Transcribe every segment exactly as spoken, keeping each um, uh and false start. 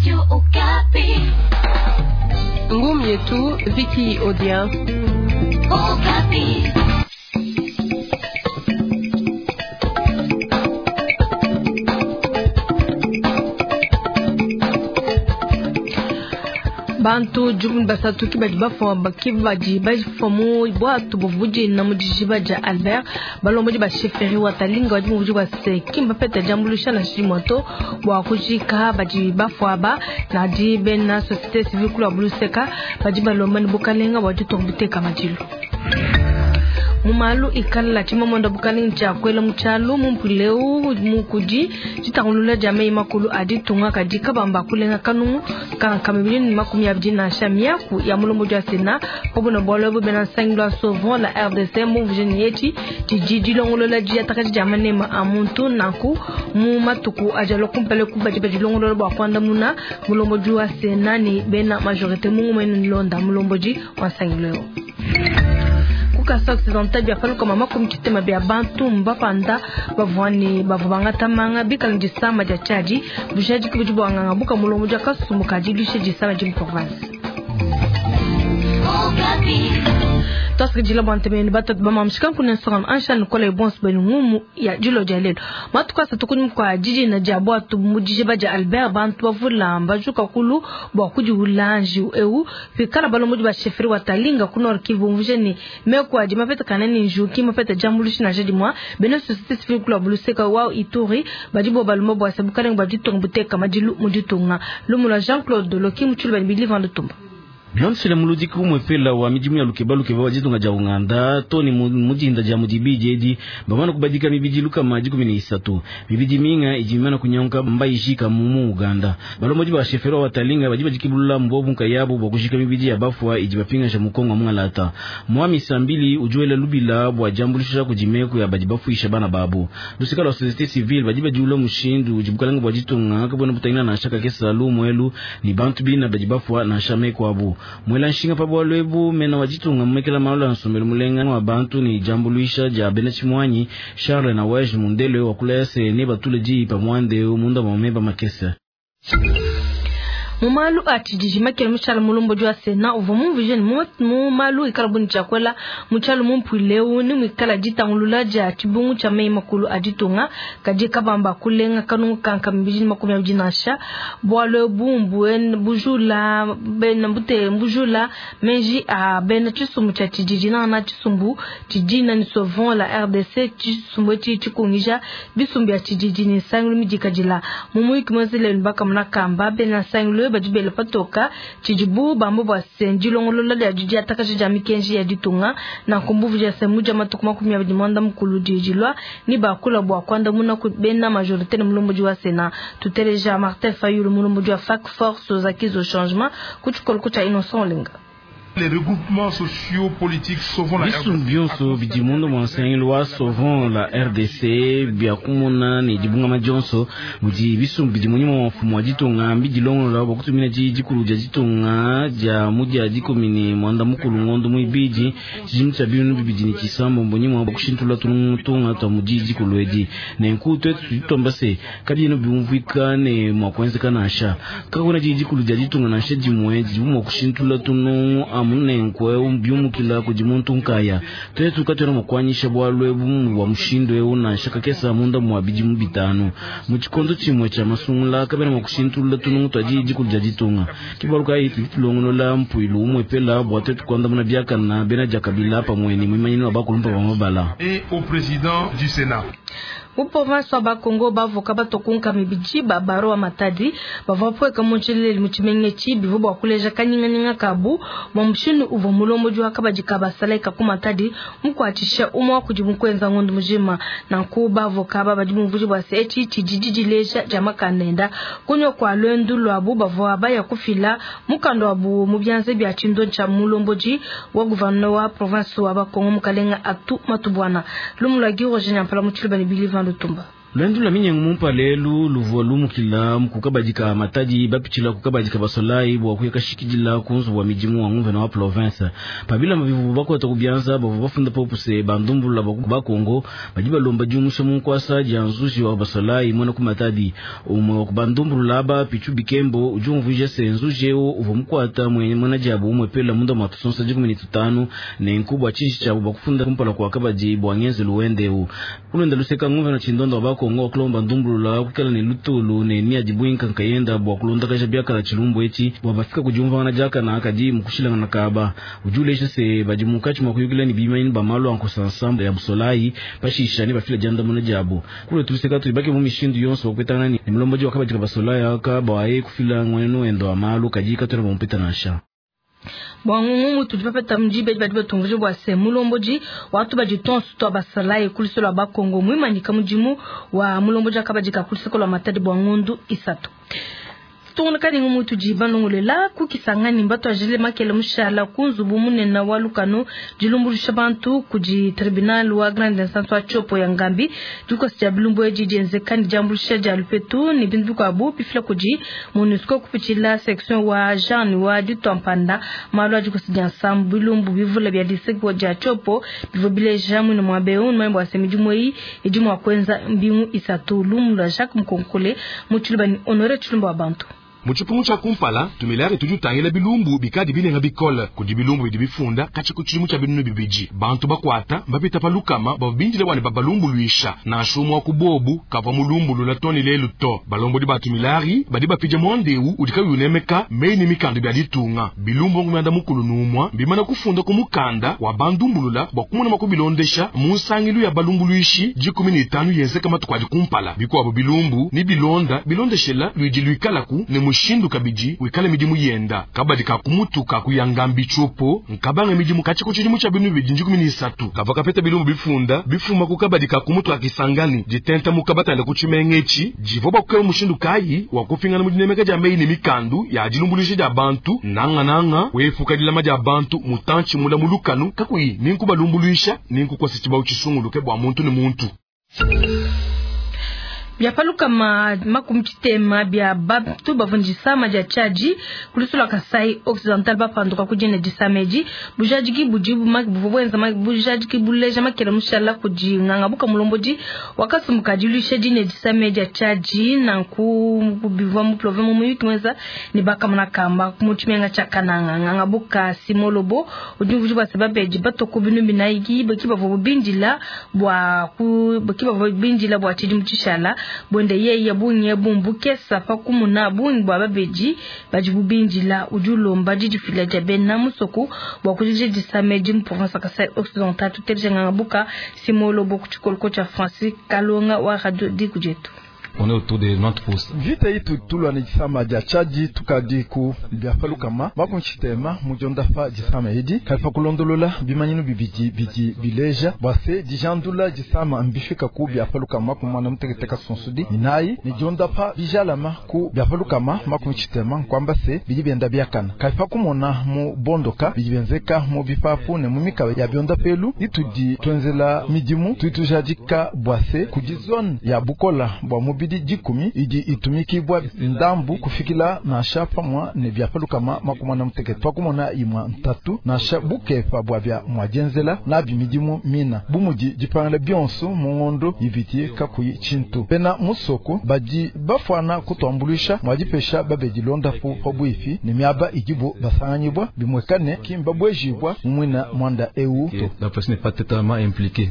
Radio Okapi. Ngumi yetu Vicky Odia. Okapi. Bantu jukumi basatu ki badi bafua ki badi bafua mu bwatu buvudi mu dijiba dia Albert balombodi ba chefferie wa Talinga badi muvudi bua se kimba peta diambuluisha na shimwa to bua kujika badi bafua ba nadi bena société civile kula buluseka badi balomba ni bukalenga bua ditunga buteka madilu mu malu ikala tshimamonda bukalenga tshia kwela mu tshialu mu mpuleu mukudi tshitangulula dia meyi makulu a ditunga kadi kabamba kulenga kanungu kanka mibili ne makumi abidi nansha miaku ya mulombodi wa Sena pabona bualu ebu bena nsangilu wa Sauvons la R D C mumvuje ne etshi tshidi dilongolola diatakadi dia manema a muntu nanku mu matuku aja kumpala ku badi badilongolola bua kuandamuna mulombodi wa Sena ne bena majorité mungumene nlonda mulombodi wa nsangilu eu. Kasa occidental bia paluka mama kumchitema bia bantu mbapanda bavwani bavubanga tamanga bikala disama dia chadi bujaji kubudi bwanganga buka mulombo dia kasumbu kadilushe disama di province. Twasikidila bwa ntemeni batatu bamamshika nkuna nsonga ansha nikola ibonso benu ngumu ya dilo dia lelo matuku asatu kunyuma kua didina dia bwatu mu dijiba dia Albert bantu bavula bajuka kulu bua kudiula njiwu eu pikala balombodi ba chefferie wa Talinga ku Nord Kivu bumvuje ne meku adi mapetakana ne njiwu ki mapeta diambuluisha nansha dimua bena société civile kula buluseka wa Ituri badi bo balomba bua se bukalenga bua ditunga buteka madilu mu ditunga lumu lua Jean Claude Loki mutshulu badi biliva ndutumba. Bilondeshile muludiki umwepela wa midimu ya lukeba lukeba wa ditunga dia Uganda toni mudinda dia mudibidi edi bamana kubadika mibidi lukama dikumi ne isatu mibidi minga idi mimana kunyanka mbayijika mu Uganda balombodi ba chefferie wa Talinga badi badikibulula mbobu nkayabu bua kujika mibidi ya bafua idi bapingasha mukongo mungalata mwami sambili ujuela lubila bua diambuluisha kudi meku ya badi bafuisha bana babu lusika lwa société civile badi badiula mushindu udi bukalanga bua ditunga kabona butangila nansha kakesa lumwelu ni bantu bina badi bafua nansha meku abu. Mwela nshinga pa bwalu ebu mena wa ditunga mumekela malu a nsombelu mulenga wa bantu ni diambuluisha dia bena tshimuanyi Charles na Wege Mundele wa kula se ne batule di pa mwande munda mwa meba makese. Mu malu a tshidiji makele mutshala mulombodi wa Sena uvua mumvuje mu malu ikala buni tshiakwela mutshala mumpuileu ni muikala ditangulula dia tshibungu tshia meyi makulu a ditunga kadi kabamba kulenga kanungu kanka mibidi ne makumi abidi nansha bualu ebu bujula bena bute bujula menji a bena tshisumbu tshia tshidiji nana tshisumbu tshidina ni Sauvons la R D C tshisumbu etshi tshikungija bisumbu ya tshidiji ni nsangilu midikadila mu muyiki mwenzele bakamuna kamba bena nsangilu badi bela patoka tshidibu bambo bua se ndilongolola dia diatakaja dia mikenji ya ditunga na nkumbuvu dia se mudia matuku makumi abidi mwanda mukulu didilwa ni bakula bua kuandamuna ku bena majorité ne mulombodi wa Sena tuteleja Martin Fayulu mulombodi wa Fac Force aux acquis au changement ku tshikoloko tshia Innocent Olenga. Les regroupements sociaux politiques sauvons la R D C. Bisumbu bionso bidi munda mua nsangilu wa Sauvons la R D C bia kumona ne dibungama dionso mudi bisumbu bidi munyima wa mfumu wa ditunga mbidilongolola bua kutumina di dikulu dia ditunga dia mudia dikumi ne muanda mukulu ngondo muibidi tshidimu tshia binunu bibidi ne tshisambombo nyima bua kushintulula tunga tua mudi dikulu edi nenku tuetu tudi tuamba se kabiena biumvuika ne mua kuenzeka nansha kakuna di dikulu dia ditunga nansha dimue didibu mua kushintulula tunungu amunenkwe biumukila kudi muntu nkaya tuetu katwena mukwanyisha bwalu ebu bwa mushindu eu nansha kakesa munda mwa bidimu bitanu mu tshikondo tshimue tshia masungula kabena mua kushintulula tunungu tua di dikulu dia ditunga kibalu kayi tudi tulongolola mpuilu umwepela bua tuetu kuandamuna biakana bena dia kabila pamue ne muimanyini wa bakulumpa ba mabala et au président du Sénat. Mu province wa Bakongo bavoka batokunka mibidi ba baro wa Matadi bavua pweka mu tshilele mu tshimenge tshibi bua kuleja kanyinganyinga kabu bua mushindu uvua mulombodi wa kabadi ka basalaika ku Matadi mukuatshisha umue wa kudi mukuenza ngondo mujima nanku bavoka aba badi bumvuije bua se etshi tshidi dileja dia makanda enda kunywa kua lwendu luabu bavua baya kufila mukanda wabu mu bianza bia tshindo tshia mulombodi wa gouverneur wa province wa Bakongo mukalenga Atu Matubwana lumu lua Guy Roger Nyampala mu tshiluba ne Bilivan Lutumba. Luendu lwa minyengo mumpa lelu luvua lumukila kukabadika Matadi bapitshila kukabadika basolayi bua kuyakashikidila ku nzubu wa midimu wa nguvena wa province. Pabilamba bivua bakwata ku bianza bavua bafunda popuse bandumbulula ba Kongo badi balomba diumusha mu nkwasa dia nzuji wa basolayi muena ku Matadi. Umwe wa kubandumbulula aba Pichu Bikembo udi umvuija se nzuji eu uvua mukwata muena diabu umwe pela munda mua tusonsa dikumi ne tutanu ne nku bua tshinji tshiabu bakufunda kumpala kua kabadi bua ngenzelu wende eu. Kulonda luseka nguvena tshindondo wa bakongo kulomba ndumbulula kukala ne lutulu ne miadi buinka nkayenda bua kulondakaja biakala tshilumbu etshi bua bafika kudiumvangana diakana kadi mukushilangana kaba. Udi ulesha se badi munkatshi mua kuyukila ne bimanyi ba malu a nkosansambu ya busolayi pashisha ne bafila diandamuna diabu. Kule tuluseka tuibake mu mishindu yonso bakupetangana ne mulombodi wa kabadi ka basolayi aka bua kufila ngwenu wendo wa malu kadi katwena bamupeta nansha. Bwa ngungu tudi bapeta mjibe badi batumvuje bwa se mulomboji watu badi tonso to basalaye kulisolo ba Kongo mwimanyika mudimu wa mulomboji akabadi ka kulisolo la Matadi bwa ngundu isatu. Tunga ni ngumu tudi banongolela kukisangani mbato ajile makele mushala kunzubu munene wa lukano dilumbulisha bantu kudi tribunal wa grande instance wa Tshopo ya Ngambi dikosi ya bilumbu eji dienzekani diambulisha dia lupetu ni bintu bikuabu bifila kudi MONUSCO kupitshila section wa Jean wa ditompanda malu a dikosi dia nsambu bilumbu bivula bia district dia Tshopo bivua bileja mwine mwa beu mwembo wa semidimu eyi idi mwa kwenza mbingu isatu lumu lwa Jacques Mkonkole mutshilubani Honore Tshilumbu wa bantu. Muchipungu cha kumpala tumilare tudi utangila bilumbu bikadi binenga bikole kudi bilumbu bidi bifunda kachi kutshidimu tsha binunu bibidi bantu bakwata bapita pa lukama babindile bwane babalumbuluisha na shumu wa kubobu kava mulumbulula toni lelu to balombodi ba tumilari badi bapija mwandeu udika yunemeka meini mikandu bya ditunga bilumbu ngumyanda mukulu numwa bimana kufunda ku mukanda wa bandumbulula bwa kumona makubilondesha mu nsangilu ya balumbuluishi dikumi ne itanu yenzeka matuku adi kumpala bikuabo bilumbu ni bilonda bilondeshela lwidi lwikalaku ne shindu kabidi wikale midimu yenda kabadi kakumutuka kuyangambi Tshopo nkabanga midimu kachiko chidimu cha binu bidi njikumi ni isatu kava kapeta bilumbu bifunda bifuma kukabadi kakumutuka kisangani ditenta mukabatanda kuchimengechi jivoba kukela mushindu kayi wakufingana mudinemeka ja meyi ne mikandu ya dilumbulisha ja bantu nanga nanga wefuka dilama ja bantu mutanchi mula mulukanu kakuyi ninkubalumbuluisha ninkukwasa chibau chisunguluke bwa muntu ne muntu. Bia paluka ma makumchitema bia bantu bavunjisa maja chaji kulisula Kasai Occidental bapanduka kujene disameji bujajiki bujibu buvwenza bujajiki buleja makela mushala kuji ngangabuka mulomboji wakasumuka dilusha dine disameji ya chaji na ku bivwa mu province mu muyuki mweza ni bakamuna kamba kumuchimenga chakananga ngangabuka simolobo ujumvuji bwa sababu batoko binu binaigi bakiba bindila bwa ku bakiba bindila bwa chidimu chishala bonde yeye bunye bumbuke safa kumuna bungi bwa babeji bajibu binjila ujulomba jijifila jabe na musoko bwa kujije disameji mu province Kasai Occidental tuteljenga ngabuka simolo bokuchikolko cha Francis Kalonga wa radio Dikujetu. On est autour de quatre-vingt-dix pour cent. Vita itu tulwa ni jisama ja chaji tukadi ku byafalukama makunchitema mujondafa jisama edi kaifa kulondolola bimanyinu bibidi bidi bileja bwase dijandula jisama mbifika ku byafalukama kumwana muteketeka sonsudi inayi ni jondafa bijalama ku byafalukama makunchitema kwamba se bidi byenda byakana kaifa kumona mu bondoka bidi byenzeka mu bipapu ne mu mikaba ya byonda pelu itudi twenzela midimu tuitujadika bwase ku zone ya bukola bwa mu bidi dikumi idi itumikibwa ndambu kufikila na shapa mwa ne byafalukama makumana mutekete twakumona imwa ntatu na sha bukepa bwa bya mwajenzela na bimidimu mina bumudi dipangala byonso mu ngondo ibiti kakuyi chintu pena musoko badi bafwana kutwambulisha mwajipesha babedi londa pu pabwifi ne miaba idibu basanganyibwa bimwekane kimba bwejibwa mwina mwanda eu La personne n'est pas totalement impliquée.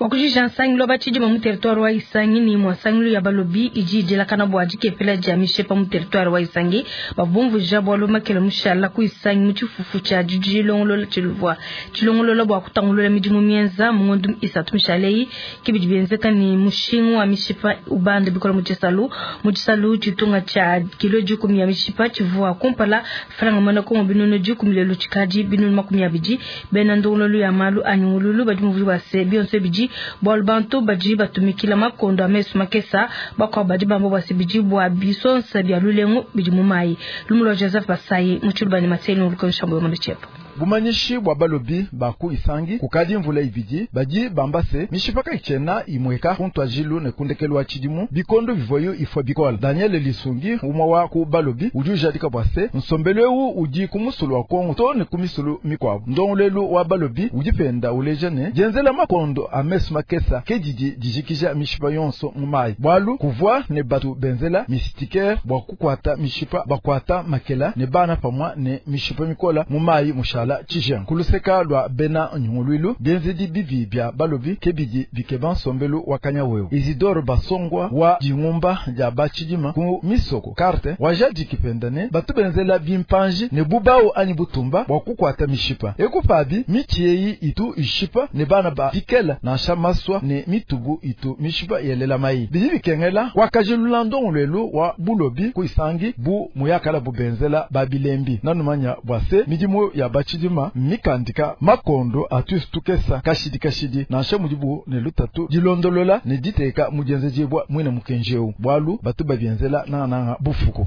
Wakujija nsangilo bachidi mu territoire wa Isangi ni mwasangilo ya balobi iji jelakana bwa jikepela jamishe pa mu territoire wa Isangi babumvu jabo lomakela mushala ku Isangi mu chifufu cha jijilongolo chiluvwa chilongolo bwa kutangulula midimu mienza mu ngondu isatu mishalei kibidi benzeka ni mushingu wa mishipa ubande bikola mu chisalu mu chisalu chitunga cha kilo jikumi ya mishipa chivwa kumpala franga mana ko binono jikumi lelo chikaji binono makumi abiji bena ndongolo ya malu anyungululu badi mu bwa se bionse biji bwalbantu baji batumikila makondo amesu makesa bakwa badi bambo basibiji bwa bisonsa bya lulengu bidi mu mai lumulo Joseph Basayi mu chulubani maseni ulukonshambo yo chepo. Bumanyishi bwa balobi ba ku Isangi kukadi mvula ibidi badi bamba se mishipa kaikyena imweka kuntwajilu ne kundekelu wa tshidimu bikondo bivoyo ifwa bikola. Daniel Lisungi umwe wa ku balobi udi ujadika bwa se nsombelu ewu udi ku musulu wa Kongo to ne ku misulu mikwabu. Ndongolelu wa balobi udi penda uleja ne dienzela makondo a mesu makesa ke didi dijikija mishipa yonso mu mayi bwalu kuvwa ne batu benzela mistikere bwa kukwata mishipa bakwata makela ne bana pamwa ne mishipa mikola mu mayi mushala tshijengu. Kuluseka lwa bena nyungulwilu bienzedi bibi bya balobi ke bidi bikeba nsombelu wa kanyawewu. Isidore Basongwa wa dingumba dia batshidima ku misoko karte wajadiki penda ne batu benzela bimpanji ne bubao anyi butumba bwa kukwata mishipa ekupabi miti eyi itu ishipa ne bana ba bikela nansha maswa ne mitubu itu mishipa yelela mayi bidi bikengela kwakajilula ndongolwelu wa bulobi ku Isangi bu muyakala bubenzela babilembi nanumanya bwa se midimu ya batshidima mikandika makondo atuistukesa kashidi kashidi nansha mudibu ne lutatu dilondolola ne diteka mudienzejibwa mwine mukenjeu bwalu batu babienzela nananga bufuku.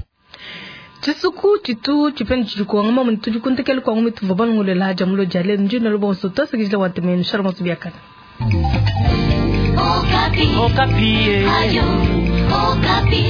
Tshisuku tshitu tshipende tshidi kuangama muntu tudi kuntekela kuangama tuva balongolela haja mulo jale njina lubonso tosekijila watemenu shalom biakana. Okapi. Okapi. Ayo, Okapi.